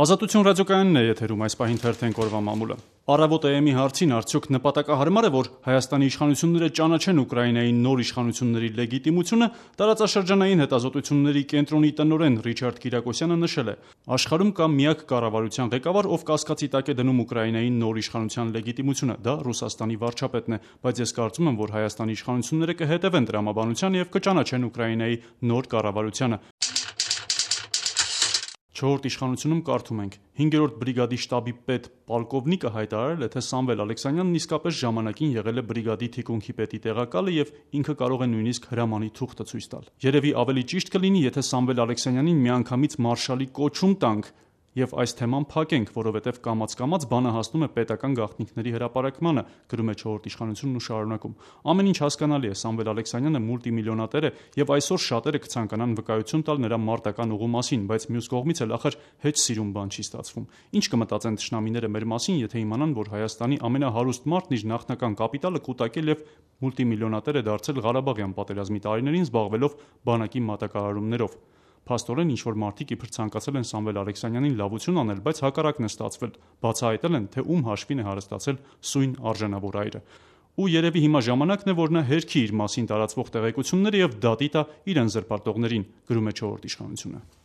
Ազատություն ռադիոկայանն է եթերում, այս պահին թերթենք օրվա մամուլը։ Առավոտ AM-ի հարցին արդյոք նպատակահարմար է, որ Հայաստանի իշխանությունները ճանաչեն Ուկրաինայի նոր իշխանությունների լեգիտիմությունը, տարածաշրջանային հետազոտությունների կենտրոնի տնօրեն Ռիչարդ Կիրակոսյանը նշել է. աշխարհում կա միակ կառավարության ղեկավար, ով կասկածի տակ է դնում Ուկրաինայի նոր իշխանության լեգիտիմությունը, դա Ռուսաստանի վարչապետն է, բայց ես կարծում եմ, որ Հայաստանի իշխանությունները կհետևեն տրամաբանությանը եւ կճանաչեն Ուկրաինայի նոր կառավարությանը։ Չորրորդ իշխանությունում կարդում ենք. 5-րդ բրիգադի շտաբի պետ պոլկովնիկը հայտարարել է, թե Սամվել Ալեքսանյանն իսկապես ժամանակին եղել է բրիգադի թիկունքի պետի տեղակալը եւ ինքը կարող է նույնիսկ հրամանի թուղթը ցույց տալ։ Երևի ավելի ճիշտ կլինի, եթե Սամվել Ալեքսանյանին միանգամից մարշալի կոչում տանք եւ այս թեման փակենք, որովհետեւ կամաց-կամաց բանը հասնում է պետական գաղտնիքների հրապարակմանը, գրում է չորրորդ իշխանությունն ու շարունակում. ամեն ինչ հասկանալի է, Սամվել Ալեքսանյանը մուլտիմիլիոնատեր է եւ այսօր շատերը կցանկանան վկայություն տալ նրա մարտական ուղու մասին, բայց մյուս կողմից էլ ախր հեչ սիրուն բան չի ստացվում։ Ինչ կմտածեն թշնամիները մեր մասին, եթե իմանան, որ Հայաստանի ամենահարուստ մարդն իր նախնական կապիտալը կուտակել եւ մուլտիմիլիոնատեր է դարձել Ղարաբաղյան պատերազմի տարիներին զբաղվելով բանակի մատակարարումներով։ Փաստորեն ինչ-որ մարդիկ իբր ցանկացել են Սամվել Ալեքսանյանին լավություն անել, բայց հակառակն է ստացվել, բացահայտել են, թե ում հաշվին է հարստացել սույն արժանավոր այրը։ Ու երևի հիմա ժամանակն է, որ նա հերքի իր մասին տարածվող տեղեկությունները եւ դատի տա իրեն զրպարտողներին, գրում է չորրորդ իշխանությունը։